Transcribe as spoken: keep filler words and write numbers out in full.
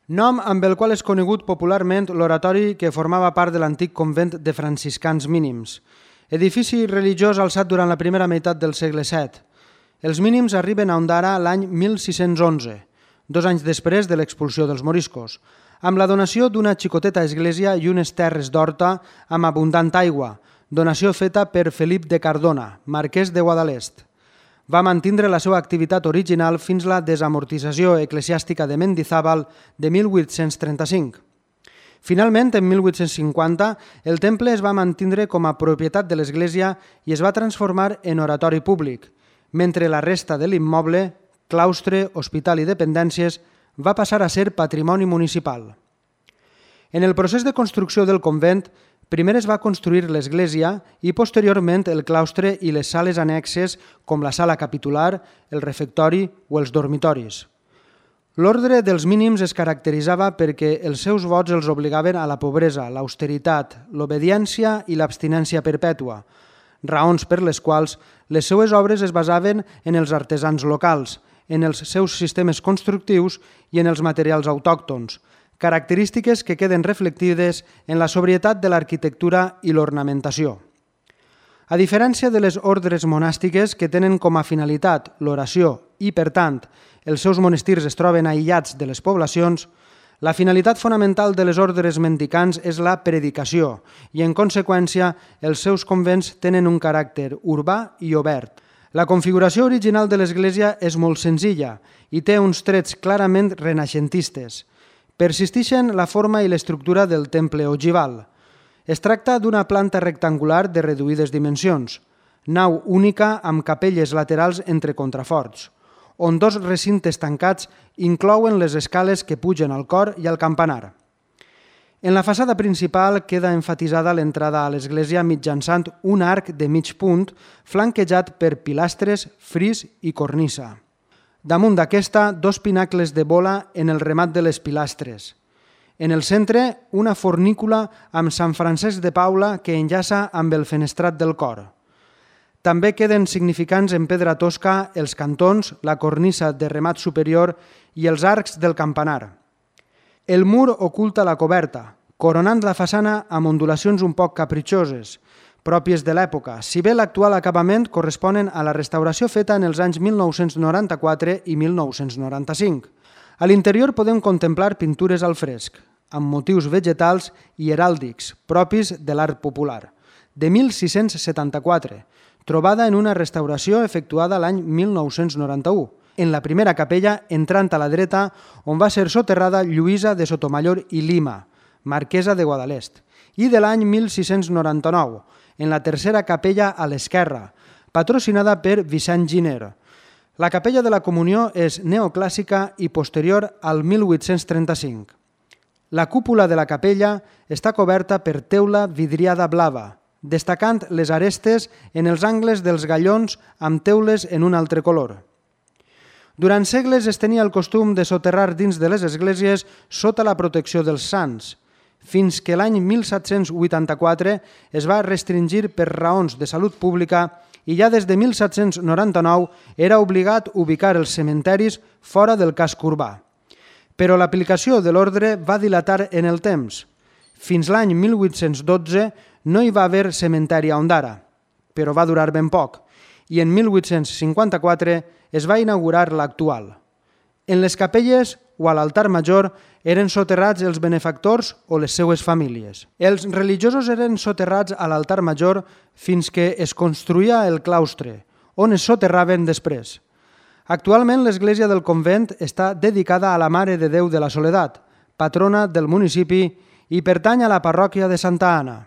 nom amb el qual és conegut popularment l'oratori que formava part de l'antic convent de franciscans mínims, edifici religiós alçat durant la primera meitat del segle set. Els mínims arriben a Ondara l'any mil sis-cents onze, dos anys després de l'expulsió dels moriscos, amb la donació d'una xicoteta església i unes terres d'horta amb abundant aigua, donació feta per Felip de Cardona, marquès de Guadalest. Va mantindre la seva activitat original fins la desamortització eclesiàstica de Mendizábal de mil vuit-cents trenta-cinc. Finalment, en mil vuit-cents cinquanta, el temple es va mantindre com a propietat de l'església i es va transformar en oratori públic, mentre la resta de l'immoble, claustre, hospital i dependències, va passar a ser patrimoni municipal. En el procés de construcció del convent, primer es va construir l'església i posteriorment el claustre i les sales annexes com la sala capitular, el refectori o els dormitoris. L'ordre dels mínims es caracteritzava perquè els seus vots els obligaven a la pobresa, l'austeritat, l'obediència i l'abstinència perpètua, raons per les quals les seues obres es basaven en els artesans locals, en els seus sistemes constructius i en els materials autòctons, característiques que queden reflectides en la sobrietat de l'arquitectura i l'ornamentació. A diferència de les ordres monàstiques que tenen com a finalitat l'oració i, per tant, els seus monestirs es troben aïllats de les poblacions, la finalitat fonamental de les ordres mendicants és la predicació i, en conseqüència, els seus convents tenen un caràcter urbà i obert. La configuració original de l'església és molt senzilla i té uns trets clarament renaixentistes. Persisteixen la forma i l'estructura del temple ogival. Es tracta d'una planta rectangular de reduïdes dimensions, nau única amb capelles laterals entre contraforts, on dos recintes tancats inclouen les escales que pugen al cor i al campanar. En la façana principal queda enfatitzada l'entrada a l'església mitjançant un arc de mig punt flanquejat per pilastres, fris i cornisa. Damunt d'aquesta, dos pinacles de bola en el remat de les pilastres. En el centre, una fornícula amb Sant Francesc de Paula que enllaça amb el fenestrat del cor. També queden significants en pedra tosca els cantons, la cornisa de remat superior i els arcs del campanar. El mur oculta la coberta, coronant la façana amb ondulacions un poc capritxoses, pròpies de l'època, si bé l'actual acabament corresponen a la restauració feta en els anys mil nou-cents noranta-quatre i mil nou-cents noranta-cinc. A l'interior podem contemplar pintures al fresc, amb motius vegetals i heràldics, propis de l'art popular, de mil sis-cents setanta-quatre, trobada en una restauració efectuada l'any mil nou-cents noranta-u, en la primera capella entrant a la dreta on va ser soterrada Lluïsa de Sotomayor i Lima, marquesa de Guadalest, i de l'any mil sis-cents noranta-nou, en la tercera capella a l'esquerra, patrocinada per Vicent Giner. La capella de la Comunió és neoclàssica i posterior al mil vuit-cents trenta-cinc. La cúpula de la capella està coberta per teula vidriada blava, destacant les arestes en els angles dels gallons amb teules en un altre color. Durant segles es tenia el costum de soterrar dins de les esglésies sota la protecció dels sants, fins que l'any mil set-cents vuitanta-quatre es va restringir per raons de salut pública i ja des de mil set-cents noranta-nou era obligat ubicar els cementeris fora del casc urbà. Però l'aplicació de l'ordre va dilatar en el temps. Fins l'any mil vuit-cents dotze no hi va haver cementeri a Ondara, però va durar ben poc, i en mil vuit-cents cinquanta-quatre es va inaugurar l'actual. En les capelles o a l'altar major eren soterrats els benefactors o les seues famílies. Els religiosos eren soterrats a l'altar major fins que es construïa el claustre, on es soterraven després. Actualment l'església del convent està dedicada a la Mare de Déu de la Soledat, patrona del municipi i pertany a la parròquia de Santa Anna.